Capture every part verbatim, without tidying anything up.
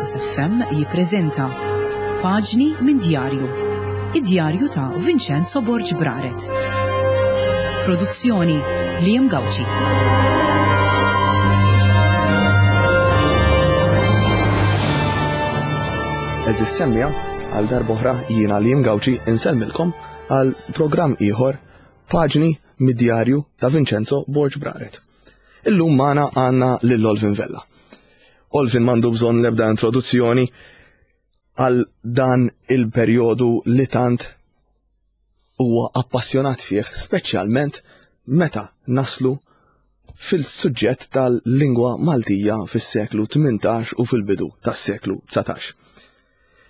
Veritas F M jippreżenta Paġni minn Djarju. Id-djarju ta' Vincenzo Borg Braret. Produzzjoni Liam Gauci. Eżis semmija, għal darb'oħra jiena Liam Gauci insellmilkom għal programm ieħor Paġni mid-djarju ta' Vincenzo Borg Braret. Illum magħna għandna lil Olvin Vella. Olvin m'għandu bżonn l-ebda introduzzjoni għal dan il-perjodu li tant huwa appassjonat fih, speċjalment meta naslu fil-suġġett tal-lingwa Maltija fis-seklu tmintax u fil-bidu tas-seklu dsatax.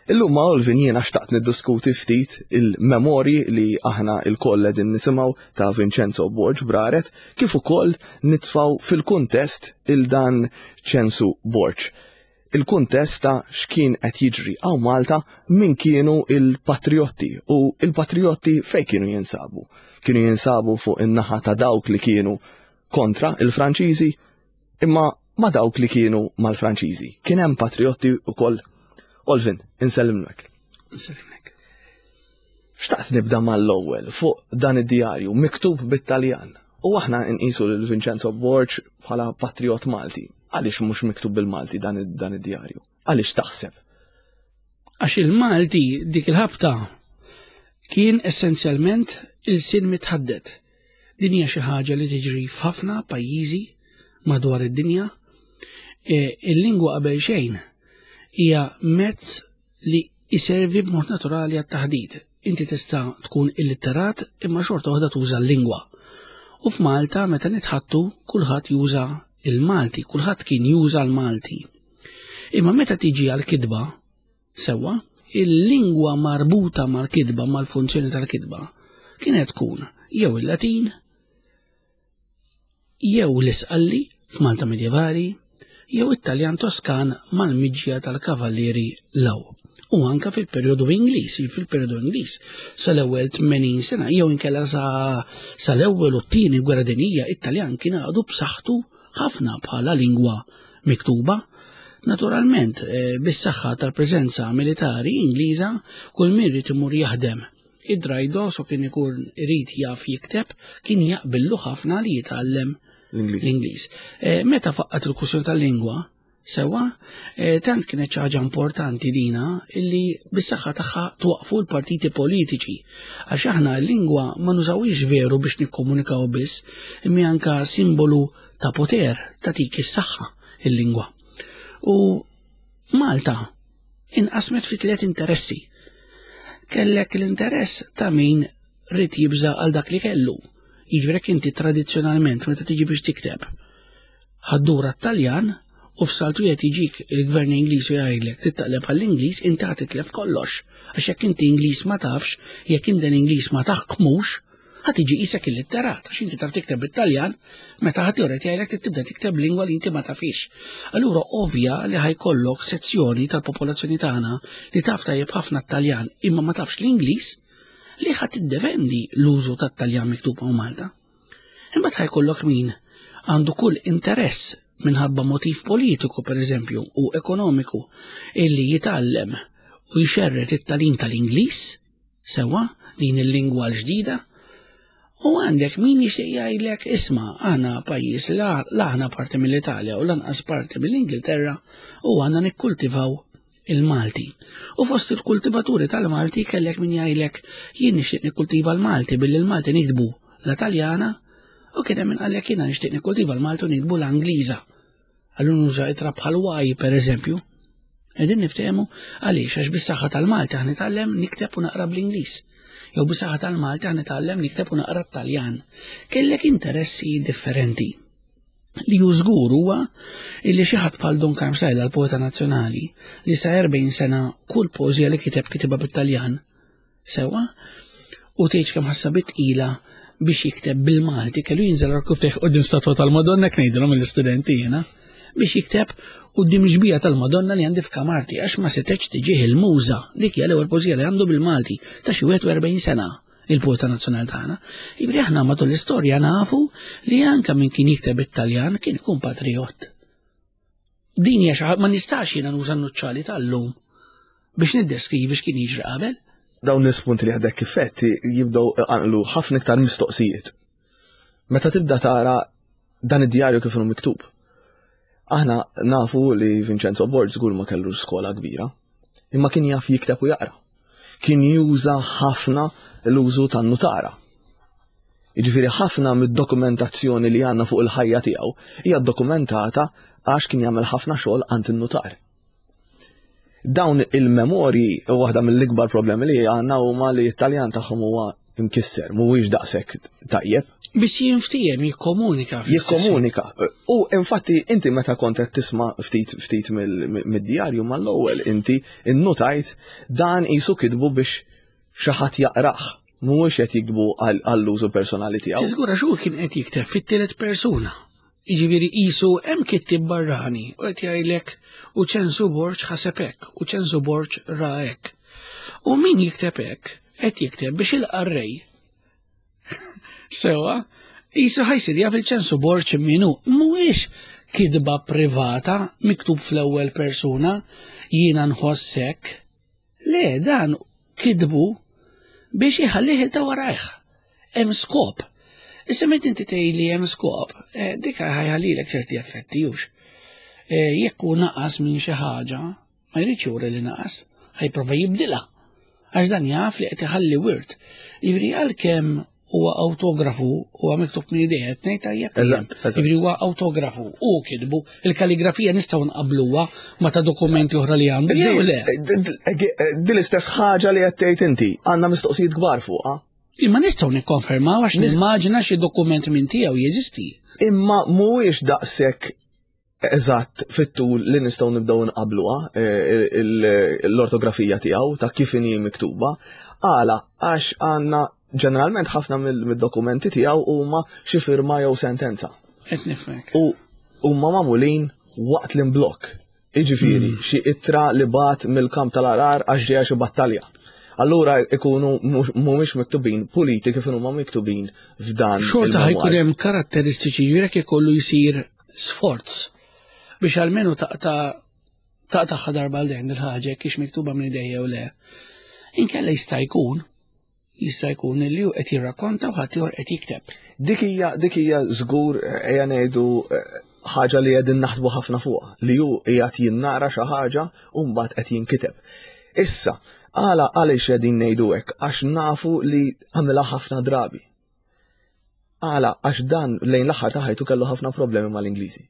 Illum ma' Olvin jiena xtaqt niddiskuti ftit il-memorji li aħna il-koll qegħdin nisimgħu ta' Vincenzo Borg Braret, kif ukoll nitfgħu fil-kuntest il-dan Ċensu Borg. Il-kuntest ta' x'kien qed jiġri hawn Malta, min kienu il-patriotti u il-patriotti fejn kienu jinsabu. Kienu jinsabu fuq in-naħa ta' dawk li kienu kontra il-Franċiżi, imma ma' dawk li kienu mal-Franċiżi. Kien hemm patriotti wkoll. Olvin, insellimlek. Insellimlek. Xtaqt nibda mal-ewwel fuq dan id-djarju miktub bit-Taljan. U aħna nqisu lil Vincenzo Borg bħala patriot Malti. Għaliex mhux miktub bil-Malti dan id-, dan id-djarju? Għaliex taħseb? Għax il-Malti dik il-ħabta kien essenzjalment il-sin mitħaddet. Din hija xi ħaġa li tiġri f'ħafna pajjiżi madwar id-dinja. E, il-lingwa qabel xejn hija mezz li jservi b'mod naturali għat-taħdit. Inti tista' tkun illitterat imma xorta waħda tuża l-lingwa. U f'Malta meta nitħattu kulħadd juża il-Malti, kulħadd kien juża l-Malti. Imma meta tiġi għall-kitba, sewwa, il-lingwa marbuta mal-kitba, mal-funzjoni tal-kitba, kienet tkun jew il-Latin, jew l-Isqalli f'Malta Medjevali, jew it-Taljan Toskan mal-miġja tal-Kavallieri Law. U anka fil-perjodu Ingliż, fil-perjodu Ingliż sal-ewwel tmenin sena, jew inkella sa-, sal-ewwel u t-tieni gwerra dinjija, it-Taljan kien għadu b'saħħtu ħafna bħala lingwa miktuba. Naturalment, eh, bis-saħħa tal-preżenza militari Ingliża, kull min irid imur jaħdem id-drajdos u kien ikun irid jaf jikteb, kien jaqbillu ħafna li jitgħallem l-Ingliż. l-Ingliż. Eh, meta faqqat il-kwistjoni tal-lingwa, sewwa, eh, tant kienet xi ħaġa importanti dina illi bis-saħħa tagħha twaqfu l-partiti politiċi. Għax aħna l-lingwa ma nużawhiex veru biex nikkomunikaw biss, imma anka simbolu ta' poter, tagħtik is-saħħa il-lingwa. U Malta inqasmet fi tliet interessi. Kellek l-interess ta' min rid jibża' għal dak li kellu. Jiġifieri jekk inti tradizzjonalment meta tiġi biex tikteb ħaddura t-Taljan u f'saltu qed jiġik il-gvern Ingliż u jgħidlek tittaqleb għall-Ingliż, inti ħa titlef kollox. Għax jekk inti Ingliż ma tafx, jekk inti l-Ingliż ma taħkmux, ħa tiġi qisek illitterat, għax inti taf tikteb bit-Taljan, meta ħadd joret jgħidlek trid tibda tikteb lingwa li inti ma tafix. Allura ovvja li ħajkollok sezzjoni tal-popolazzjoni tagħna li taf tajjeb ħafna t-Taljan imma ma tafx l-Ingliż li ħa tiddefendi l-użu tat-Taljan miktub hawn Malta. Imbagħad ħajkollok min għandu kull interess minħabba motiv politiku, per eżempju, u ekonomiku, illi jitgħallem u jxerred it-tagħlim tal-Ingliż, sewwa, din il-lingwa l-ġdida, u għandek min jixtieq jgħidlek isma' aħna pajjiż la, la aħna parti mill-Italja u lanqas parti mill-Ingilterra u għandna nikkultivaw il-Malti. U fost il-kultivaturi tal-Malti kellek min jgħidlek jien nixtieq nikkultiva l-Malti billi l-Malti nikdbu la Taljana, u kien hemm min qallek jiena nixtieq nikkultiva l-Malti u nikdbu l-Angliża. Allura nuża itra bħal Y per eżempju. Qegħdin niftehmu għaliex, għax bis-saħħa tal-Malti aħna nitgħallem nikteb u naqra bl-Ingliż. Jew bis-saħħa tal-Malti aħna nitgħallem nikteb u naqra t-Taljan. Kellek interessi differenti. Li hu żgur huwa illi xi ħadd bħal Dun Karm Psaila, l-poeta nazzjonali, li sa erbgħin sena kull poeżija li kiteb kitibha bit-Taljan, sewwa, u tgħidx kemm ħassa bit-tqila biex jikteb bil-Malti, kellu jinżel rkuftejh quddiem statwa tal-Madonna, ngħidilhom mill-istudenti jiena, biex jikteb quddiem xbija tal-Madonna li għandi f'kamarti, għax ma setgħetx tiġih il-muża. Dik hija l-ewwel poeżija li għandu bil-Malti ta' xi wieħed u erbgħin sena, il-poeta nazzjonali tagħna. Jiġifieri aħna matul l-istorja nafu li anke min kien jikteb it-Taljan kien ikun patriot. Din hija xi ma nistax jiena nuża n-nuċċali tal-lum biex niddeskrivi x'kien jiġri qabel. Dawn l-ispunti li għadek kif għedt jibdew iqanqlu ħafna iktar mistoqsijiet. Meta tibda tara dan id-djarju kif inhu miktub. Aħna nafu li Vincenzo Borg żgur ma kellu skola kbira, imma kien jaf jikteb u jaqra. Kien juża ħafna l-użu tan-nutara. Jiġifieri ħafna mid-dokumentazzjoni li għandna fuq il-ħajja tiegħu hija dokumentata għax kien jagħmel ħafna xogħol għand in-nutar. Dawn il-memorji, waħda mill-ikbar problemi li għandna huma li t-Taljan tagħhom huwa imkisser, mhuwiex daqshekk tajjeb. Biex jinftiehem, jikkomunika. Jikkomunika. U infatti inti meta kont qed tisma' ftit ftit mid-djarju mal-ewwel inti innutajt dan qisu kitbu biex xi ħadd jaqrah. Mhuwiex qed jiktbu għall-użu personali tiegħu. Tiżgura xu kien qed jikteb fit-tielet persuna. Jiġifieri qisu hemm kittib barrani u qed jgħidlek u Ċensu Borg ħaseb hekk u Ċensu Borg ra hekk. U min jikteb hekk qed jikteb biex il-qarrej sewa qisu ħa jsir jaf il-Ċensu Borg min hu. Mhuwiex kitba privata miktub fl-ewwel persuna jiena nħoss hekk. Le, dan kitbu biex iħallih il ta' warajh. Hemm skop. Issa meta inti tgħid li hemm skop, eh, dik ħa jħallilek ċerti effetti hux. Eh, jekk hu naqas minn xi ħaġa, ma jridx juri li naqas, ħa jipprova jibdilha. Għax dan jaf li qed iħalli wirt. Jiġifieri għalkemm huwa autografu huwa miktub minn idejh qed ngħid tajjeb. Jiġifieri huwa autografu u kitbu il-kalligrafija nistgħu nqabluha ma ta' dokumenti oħra li għandu jew le. Din l-istess ħaġa li qed tgħid inti, għandna mistoqsijiet kbar fuqha. Imma nistgħu nikkonfermaw għax nimmaġina xi dokument minn tiegħu jeżisti. Imma mhuwiex daqshekk eżatt fit-tul li nistgħu nibdew nqabluha eh, l-ortografija tiegħu ta' kif inhi miktuba. Għala għax għandna ġeneralment ħafna mill-dokumenti tiegħu huma xi firma jew sentenza. Qed nifhmek. U huma magħmulin waqt l-imblokk. Iġifieri, hmm. xi ittra li bagħat mill-kamp tal-Għargħar għax ġejja xi battalja. Allura ikunu mhumiex miktubin puliti kif huma miktubin f'dan. Xorta ħa jkun hemm karatteristiċi jurek ikollu jsir sforz biex almenu taqta' taqta' darba għal dejjem il-ħaġa kiex miktuba minn idejja u le. Inkella jista' jkun jista' jkun li hu qed jirrakkonta u ħadd ieħor qed jikteb. Dik hija dik hija żgur ejja ngħidu eh, ħaġa li qegħdin naħsbu ħafna fuqha, li hu qiegħed jinnara xi ħaġa u mbagħad qed jinkiteb. Issa, għala għaliex qegħdin ngħidu hekk għax nafu li għamilha ħafna drabi. Għala għax dan lejn l-aħħar ta' ħajtu kellu ħafna problemi mal-Ingliżi.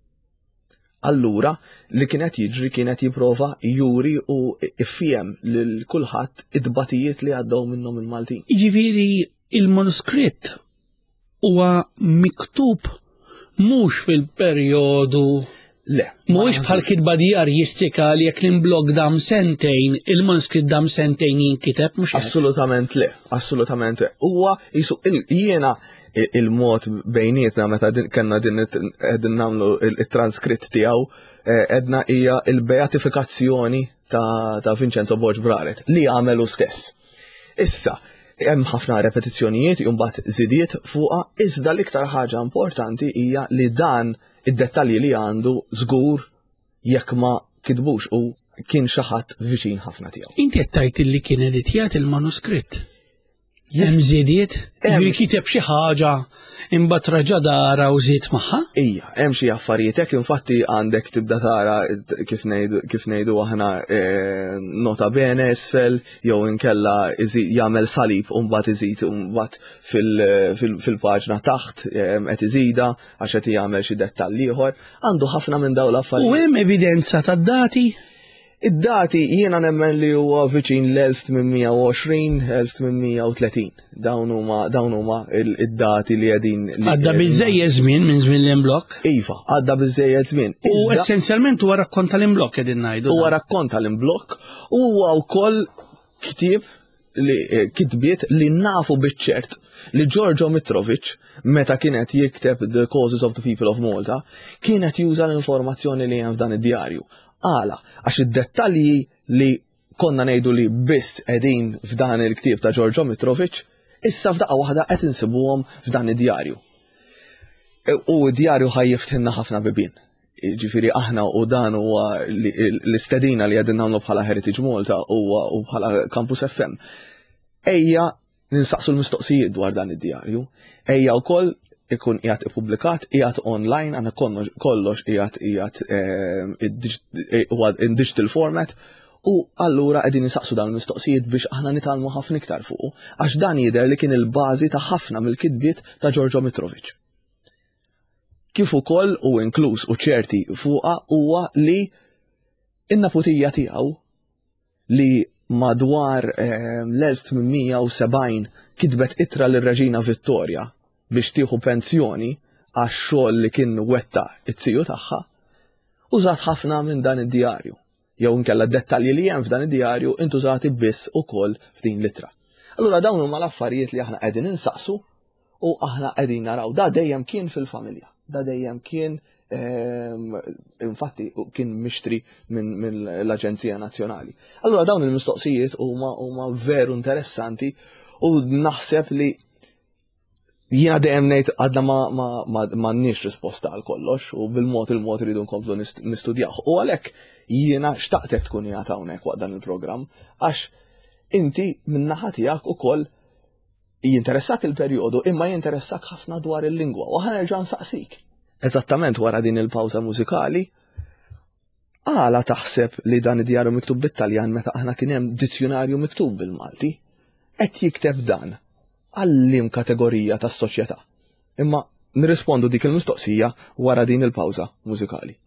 Allura li kienet jiġri kienet jipprova juri u ifhem lil kulħadd id-batijiet li għaddew minnhom il-Maltin. Jiġifieri il-manuskritt huwa miktub mhux fil-perjodu Le. Mhuwiex bħal kitba djarjistika li jekk l-imblokk dam sentejn, il-manuskritt dam sentejn jinkiteb mhux hekk. Assolutament le, assolutament le. Huwa jisu jiena il-mod bejnietna meta kellna din qegħdin nagħmlu il-transkritt tiegħu għedna hija il-beatifikazzjoni ta', ta' Vincenzo Borg Braret li għamelu stess. Issa, hemm ħafna repetizzjonijiet imbagħad żidiet fuqha, iżda l-iktar ħaġa importanti hija li dan id-dettalji li għandu żgur jekk ma kitbux u kien xi ħadd viċin ħafna tiegħu. Inti qed tgħid li kien editjat il-manuskritt. Hemm żidiet, jiġifieri kiteb xi ħaġa imbagħad raġa' dara u żied magħha? Ija, hemm xi affarijiet hekk infatti għandek tibda tara kif ngħidu kif ngħidu aħna eh, nota bene isfel jew inkella jagħmel salib u mbagħad iżid mbagħad fil-paġna taħt eh, qed iżida għax qed jagħmel xi dettall ieħor. Għandu ħafna minn dawn l-affarijiet. U hemm evidenza tad-dati? Id-dati jiena nemmen li huwa viċin l-elf tmien mija u għoxrin elf tmien mija u tletin. Dawn huma dawn huma id-dati li qegħdin. Għadda biżejjed żmien minn żmien l-imblokk? Iva, għadda biżejjed żmien. U essenzjalment huwa rakkont tal-imblokk qegħdin ngħidu. Huwa rakkont tal-imblokk u huwa wkoll ktieb li eh, kitbiet li nafu biċ-ċert li Giorgio Mitrovic meta kienet jikteb The Causes of the People of Malta kienet juża l-informazzjoni li hemm f'dan id-djarju. Għala, għax id-dettalji li konna ngħidu li biss qegħdin f'dan il-ktieb ta' Giorgio Mitrovic, issa f'daqqa waħda qed insibuhom f'dan id-djarju. E, u d-djarju ħa jiftħilna ħafna bibien. Ġifieri aħna u dan huwa l-istedina li qegħdin nagħmlu bħala Heritage Malta u bħala Campus F M. Ejja ninsaqsu l-mistoqsijiet dwar dan id-djarju. Ejja wkoll ikun qiegħed ippubblikat, qiegħed online, għandna kollox qiegħed qiegħed huwa in digital format, u allura qegħdin nisaqsu dawn il-mistoqsijiet biex aħna nitgħallmu ħafna iktar fuqu, għax dan jidher li kien il-bażi ta' ħafna mill-kitbiet ta' Giorgio Mitrovic. Kif ukoll u inkluż u ċerti fuqha huwa li in-naputija tiegħu li madwar l-elf tmien mija u sebgħin kitbet ittra lir-Reġina Vittoria biex tieħu pensjoni għax-xogħol li kien wetta it-tiju tagħha, użat ħafna minn dan id-djarju. Jew inkella dettalji li hemm f'dan id-djarju intużati biss ukoll f'din l-ittra. Allura dawn huma l-affarijiet li aħna qegħdin insaqsu u aħna qegħdin naraw. Da dejjem kien fil-familja, da dejjem kien, ehm, infatti kien mixtri minn min l-Aġenzija Nazzjonali. Allura dawn il-mistoqsijiet huma huma veru interessanti u naħseb li jiena dejjem ngħid għadna ma, ma, ma, m'għandniex risposta għal kollox u bil-mod il-mod iridu nkomplu nistudjaw. U għalhekk jiena xtaqtek tkun qiegħed hawnhekk waqt dan il-programm għax inti min-naħa tiegħek ukoll jinteressak il-perjodu imma jinteressak ħafna dwar il-lingwa u aħna nerġa' nsaqsik. Eżattament wara din il-pawża mużikali, għala taħseb li dan id-djarju miktub bit-Taljan meta aħna kien hemm dizzjonarju miktub bil-Malti? Qed jikteb dan għal-lim kategorija tas-soċjetà. Imma nirrispondu dik il-mistoqsija wara din il-pawża mużikali.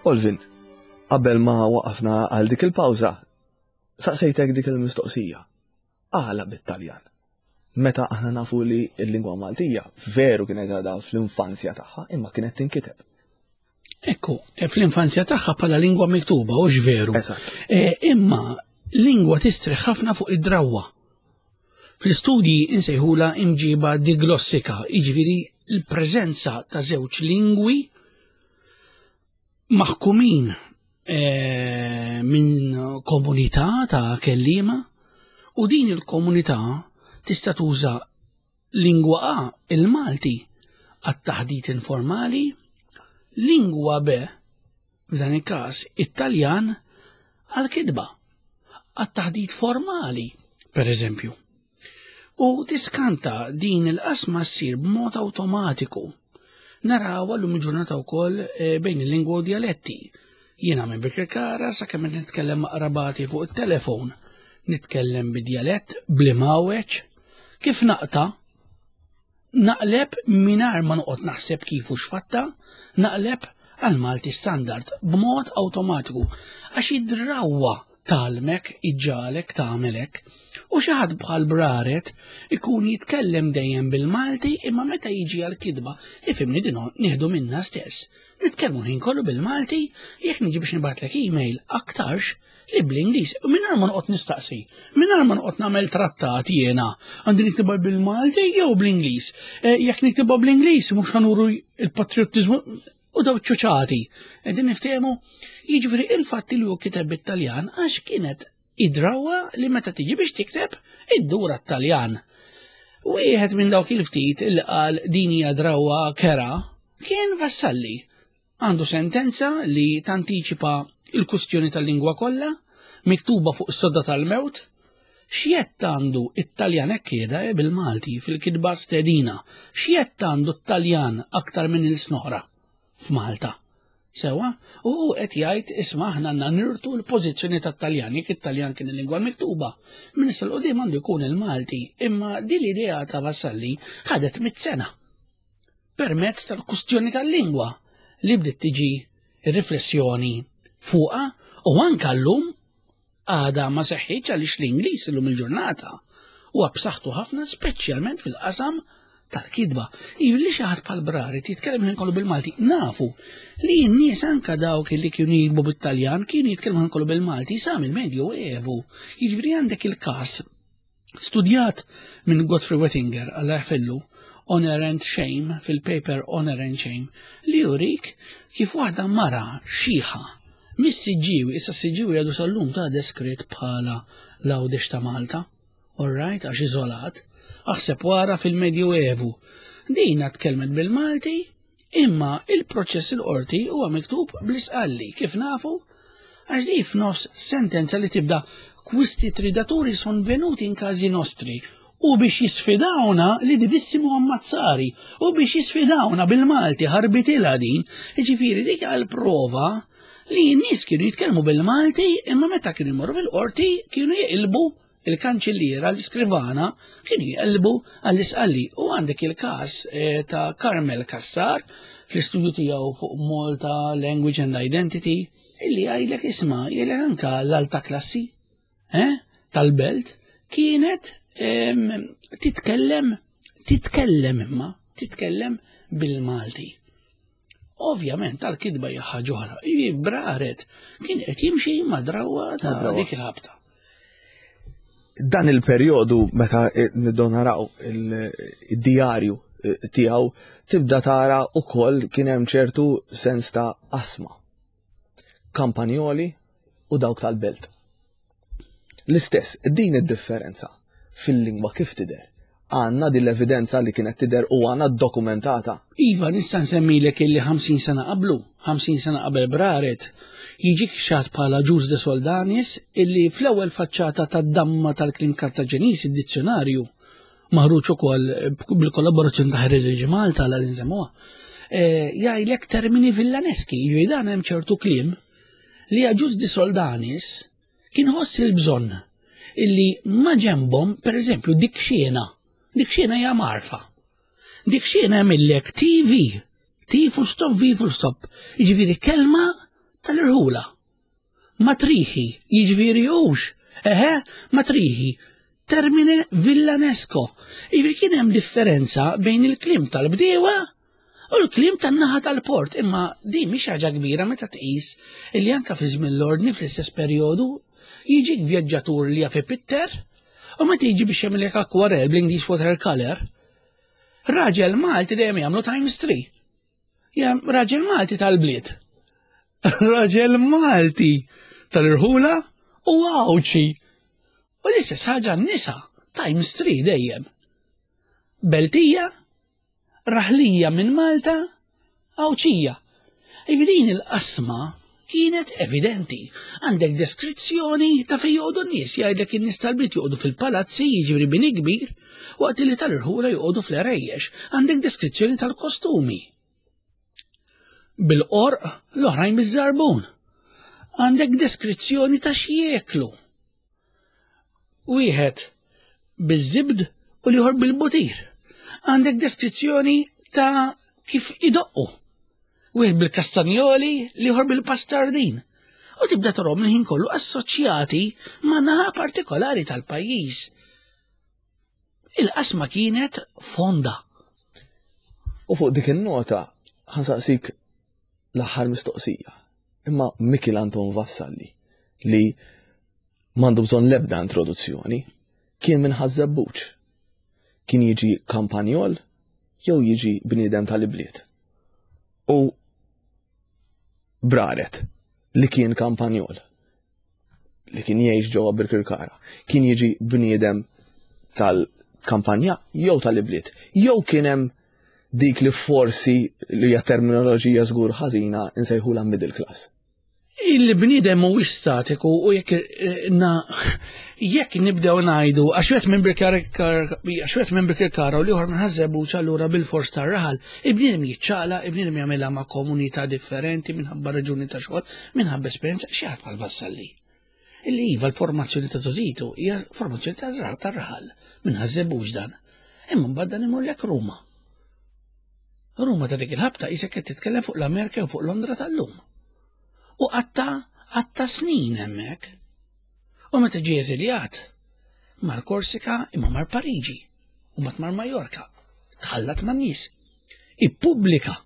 Olvin, qabel ma waqafna għal dik il-pawża, saqsejtek dik il-mistoqsija. Għala bit-Taljan? Meta aħna nafu li l-lingwa Maltija veru kienet għadha fl-infanzja tagħha, imma kienet tinkiteb. Ekku, fl-infanzja tagħha bħala lingwa miktuba, hux veru. Eżatt. E, imma lingwa tistrieħ ħafna fuq id-drawwa. Fl-istudji insejħula imġiba diglossika, jiġifieri l-preżenza ta' żewġ lingwi maħkumin, eh, minn komunità ta' kelliema, u din il-komunità tista' tuża lingwa A, il-Malti, għat-taħdit informali, lingwa B, f'dan il-każ it-Taljan, għal-kitba, għat-taħdit formali, per eżempju. U tiskanta din il-qasma ssir b'mod awtomatiku. Naraw għallum il-ġurnata wkoll, eh, bejn il-lingwa u dialetti. Jiena minn Birkirkara sakemm nitkellem ma' qrabati fuq it-telefon, nitkellem bid-djalett bl-imgħawweġ, kif naqta' naqleb mingħajr ma noqgħod naħseb kif u x'fatta, naqleb għal Malti standard b'mod awtomatiku għax id-drawwa tgħallmek iġġagħlek tagħmel hekk. U xi ħadd bħal Braret ikun jitkellem dejjem bil-Malti imma meta jiġi għal kitba, ifhimni din nieħdu minna stess. Nitkellmu ħin kollu bil-Malti, jekk niġi biex nibgħatlek email aktarx li bl-Ingliż, u mingħajr ma noqgħod nistaqsi, mingħajr ma noqgħod nagħmel trattat jiena, għandi niktibha bil-Malti jew bl-Ingliż. Eh, jekk niktibha bl-Ingliż mhux ħa nuru il-patriottiżmu u daw ċuċati. Qegħdin niftehmu, jiġifieri il-fatt li hu kiteb bit-Taljan għax kienet id-drawwa li meta tiġi biex tikteb iddura t-Taljan. Wieħed minn dawk il-ftit il qal din hija drawwa kera kien Vassalli. Għandu sentenza li tantiċipa il-kustjoni tal-lingwa kollha, miktuba fuq is-sodda tal-mewt. X'jett għandu it-Taljan hekk qiegħda eh, bil-Malti fil-kitba stedina. X'jett għandu t-Taljan aktar minn il-snoħra f'Malta. Sewa, u hu qed jgħid isma' aħna għandna nirtu l-pożizzjoni tat-Taljan, jekk it-Taljan kien il-lingwa miktuba. Minn issa 'l quddiem għandu jkun il-Malti, imma din l-idea ta' Vassalli ħadet mit sena. Permezz tal-kustjoni tal-lingwa li bdiet tiġi riflessjoni fuqha u anka llum għada ma seħħitx għaliex l-Ingliż illum il-ġurnata huwa b'saħħtu ħafna speċjalment fil-qasam tal-kitba. Li xi ħadd bħal Braret jitkellem ħin kollu bil-Malti, nafu li n-nies anka dawk li kienu jiktbu bit-Taljan kienu jitkellmu ħin kollu bil-Malti sa mill-Medju Evu. Jiġifieri għandek il-każ studjat minn Godfrey Wettinger Alla jaħfirlu Honor and Shame fil-paper Honor and Shame li jurik kif waħda mara xiħa mis-Siġġiewi, issa s-Siġġiewi għadu sal-lum ta' deskritt bħala l-Għawdex ta' Malta, all right, għax iżolat, aħseb wara fil-Medju Evu. Dina tkellmet bil-Malti, imma il-proċess il-qorti huwa miktub bl-Isqalli, kif nafu? Għax di f'nofs sentenza li tibda "Quisti tridaturi son venuti in casi nostri" u biex jisfidawna li divissimu ammazzari u biex jisfidawna bil-Malti ħarbitilha din, ġifieri dik għal-prova li n-nies kienu jitkellmu bil-Malti imma meta kienu jmorru fil-qorti kienu jeqilbu il-kanċilliera, l-iskrivana, kienu jeqilbu għall-Isqalli. U għandek il-każ eh, ta' Carmel Cassar fl-istudju tiegħu fuq Malta Language and Identity illi għajlek isma' jgħidlek anka l-alta klassi eh, tal-belt kienet em, titkellem titkellem imma titkellem bil-Malti. Ovvjament tal-kitba hija ħaġa oħra. Braret kien qed jimxi ma' drawwa ta' Ma' drawwa. dik il-ħabta. Dan il-perjodu meta nibdew naraw il-djarju tiegħu tibda tara ukoll kien hemm ċertu sens ta' qasma. Kampanjoli u dawk tal-belt. L-istess, din id-differenza fil-lingwa kif tidher? Għandna din l-evidenza li kienet tidher u għandna dokumentata. Iva, nista' nsemmilek illi ħamsin sena qablu, ħamsin sena qabel Braret, jiġik xat bħala Ġuż de Soldanis illi fl-ewwel faċċata tad-damma tal-kliem Kartaġeniż, id-dizzjonarju, maħruġ ukoll bil-kollaborazzjoni ta' Heritage Malta għal nsemmuha, eh, jgħidlek termini villaneski, jiġifieri dan hemm ċertu kliem li Ġuż de Soldanis kien ħoss il-bżonn illi ma ġembhom, per eżempju, dik xiena, dik xiena hija marfa. Dik xiena jagħmillek T V, T full stop, V full stop, jiġifieri kelma tal-irħula. Matriħi, jiġifieri hux, eħe, matriħi, termine villanesco. Jiġifieri kien hemm differenza bejn il-kliem tal-bdiewa u l-kliem tan-naħa tal-port, imma din mhix ħaġa kbira meta tqis illi anka fi żmien l-ordni fl-istess perjodu jiġik vjaġġatur li jaf ipitter u meta jiġi biex jagħmilek akwarell bl-Ingliż watercolor, raġel Malti dejjem jagħmlu times three. Ja, raġel Malti tal-bliet. Raġel Malti tal-irħula u Għawdxi. U l-istess ħaġa n-nisa, times three dejjem. Beltija, raħlija minn Malta, Għawdxija. Din il-qasma kienet evidenti. Għandek deskrizzjoni ta' fejn joqogħdu n-nies, jgħidlek in-nies tal-bliet joqogħdu fil-palazzi, jiġifieri bini kbir, waqt li tal-irħula joqogħdu fl-erejjex. Għandek deskrizzjoni tal-kostumi. Bil-qorq, l-oħrajn biż-żarbun. Għandek deskrizzjoni ta' x'jieklu. Wieħed biż-żibd u l-ieħor bil-butir. Għandek deskrizzjoni ta' kif idoqqu. Wieħed bil-kastanjoli, l-ieħor bil-pastardin. U tibda tarahom il-ħin kollu assoċjati ma' naħa partikolari tal-pajjiż. Il-qasma kienet fonda. U fuq dik in-nota ħa nsaqsik l-aħħar mistoqsija. Imma Mikiel Anton Vassalli, li m'għandu bżonn l-ebda introduzzjoni, kien minn Ħaż-Żebbuġ. Kien jiġi kampanjol jew jiġi bniedem tal-ibliet. U Braret, li kien kampanjol, li kien jgħix ġewwa Birkirkara, kien jiġi bniedem tal-kampanja jew tal-ibliet, jew kien hemm dik li forsi li hija terminoloġija żgur ħażina nsejħulha middle class. Il-bniedem mhuwiex statiku u jekk eh, na jekk nibdew ngħidu għax wieħed minn għax wieħed minn Birkirkara u l-ieħor minn Ħaż-Żebbuġ allura bil-fors tar-raħal, il-bniedem jiċċaqlaq, il-bniedem jagħmilha ma' komunità differenti minħabba raġuni ta' xogħol, minħabba esperjenza xi ħadd bħal Vassalli. Illi iva l-formazzjoni ta' żgħożitu hija formazzjoni ta' tar-raħal minn Ħaż-Żebbuġ dan. Imma mbagħad dan imur Ruma. Ruma ta' dik il-ħabta qisek qed titkellem fuq l-Amerika u fuq Londra tal-lum. U qatta qatta snin hemmhekk. U meta ġie eżiljat, mar Korsika imma mar Pariġi u mat mar Majorka. Tħallat man nies. Ippubblika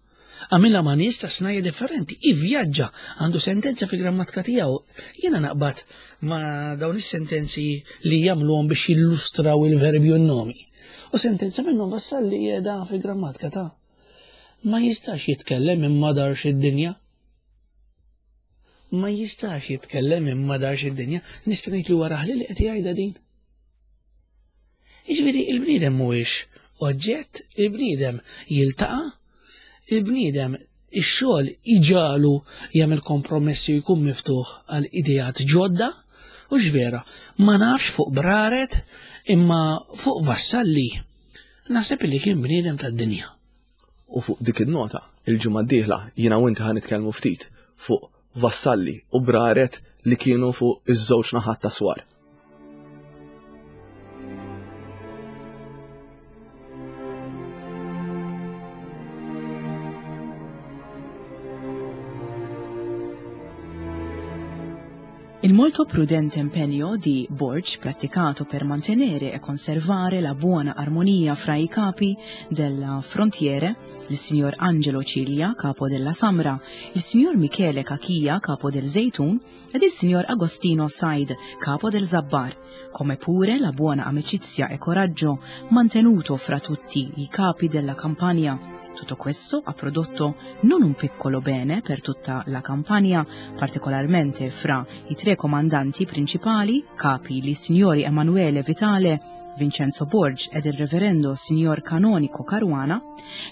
għamilha ma' nies ta' snajja differenti, ivvjaġġa, għandu sentenza fi grammatika tiegħu. Jiena naqbad ma' dawn is-sentenzi li jagħmluhom biex jillustraw il-verbi u n-nomi. U sentenza minnhom Vassalli qiegħda fi grammatika ta' ma jistax jitkellem imma darx id-dinja. Ma jistax jitkellem imma darx id-dinja, nista' ngħid li wara li qed jgħidha din. Jiġifieri il-bniedem mhuwiex oġġett, il-bniedem jiltaqa', il-bniedem ix-xogħol iġalu jagħmel kompromessi u jkun miftuħ għal ideat ġodda, u x'vera, ma nafx fuq Braret imma fuq Vassalli. Naħseb li kien bniedem tad-dinja. U fuq dik in-nota, il-ġimgħa d-dieħla jiena u inti ħa nitkellmu ftit fuq Vassalli u Braret li kienu fuq iż-żewġ naħat ta' swar. Il molto prudente impegno di Borg praticato per mantenere e conservare la buona armonia fra i capi della frontiere, il signor Angelo Ciglia, capo della Samra, il signor Michele Cachia, capo del Zeitun, ed il signor Agostino Said, capo del Zabbar, come pure la buona amicizia e coraggio mantenuto fra tutti i capi della Campania. Tutto questo ha prodotto non un piccolo bene per tutta la Campania, particolarmente fra i tre comandanti principali, capi li signori Emanuele Vitale, Vincenzo Borg ed il reverendo signor Canonico Caruana,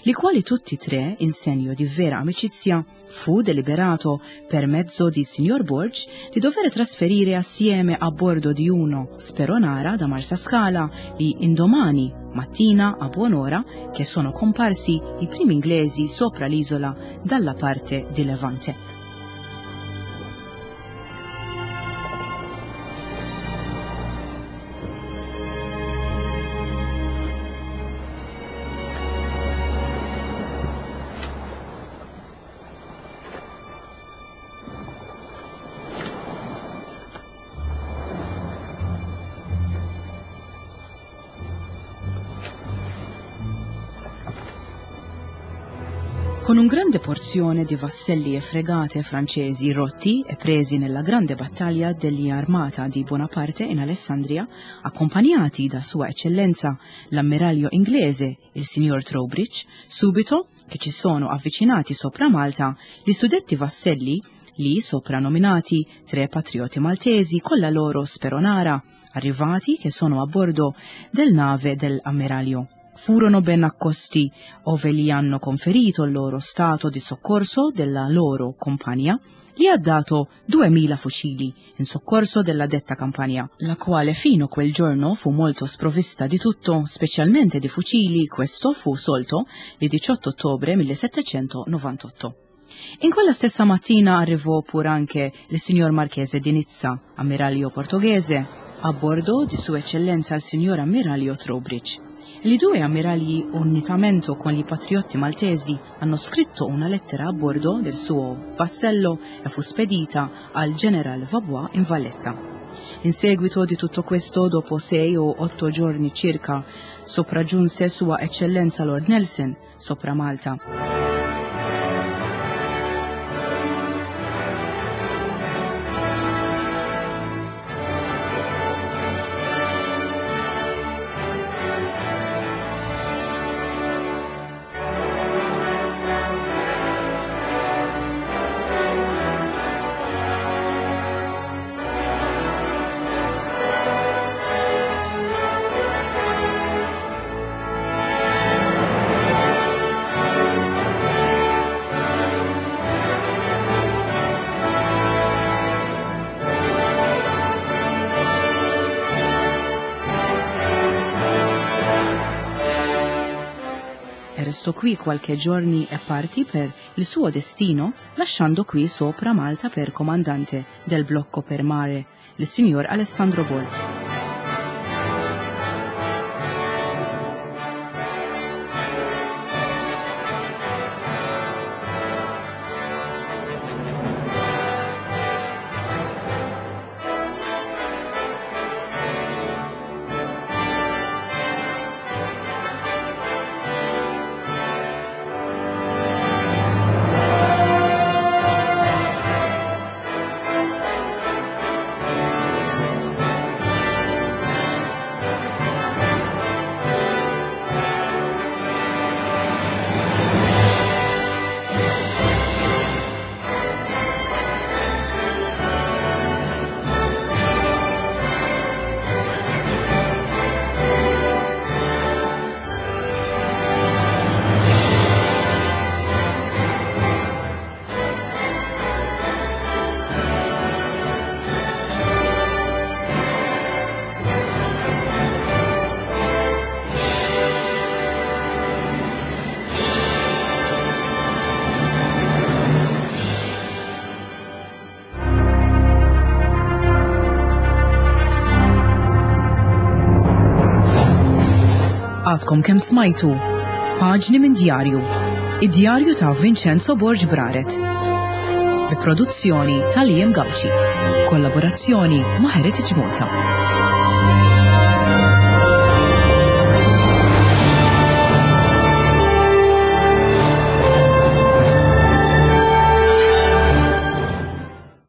li quali tutti tre, in segno di vera amicizia, fu deliberato per mezzo di signor Borg di dover trasferire assieme a bordo di uno Speronara da Marsascala li indomani mattina a buon'ora che sono comparsi i primi inglesi sopra l'isola dalla parte di Levante. Con un grande porzione di vasselli e fregate francesi rotti e presi nella grande battaglia degli armata di Bonaparte in Alessandria, accompagnati da Sua Eccellenza l'ammiraglio inglese, il signor Trowbridge, subito che ci sono avvicinati sopra Malta, gli suddetti vasselli, lì soprannominati tre patrioti maltesi con la loro speronara, arrivati che sono a bordo del nave dell'ammiraglio. Furono ben accosti, ove gli hanno conferito il loro stato di soccorso della loro compagnia, gli ha dato duemila fucili in soccorso della detta campagna, la quale fino quel giorno fu molto sprovvista di tutto, specialmente di fucili. Questo fu solto il diciotto ottobre millesettecentonovantotto. In quella stessa mattina arrivò pur anche il signor Marchese di Nizza, ammiraglio portoghese, a bordo di Sua Eccellenza il signor ammiraglio Trowbridge. Li due ammiragli, unitamente con gli patriotti maltesi, hanno scritto una lettera a bordo del suo vassello e fu spedita al general Vaubois in Valletta. In seguito di tutto questo, dopo sei o otto giorni circa, sopraggiunse Sua Eccellenza Lord Nelson sopra Malta. Restò qui qualche giorni e partì per il suo destino, lasciando qui sopra Malta per comandante del blocco per mare, il signor Alessandro Borg. Għadkom kemm smajtu Paġni minn Djarju, id-djarju ta' Vincenzo Borg Braret. Bi produzzjoni ta' Liam Gauci. Kollaborazzjoni ma' Heritage Malta.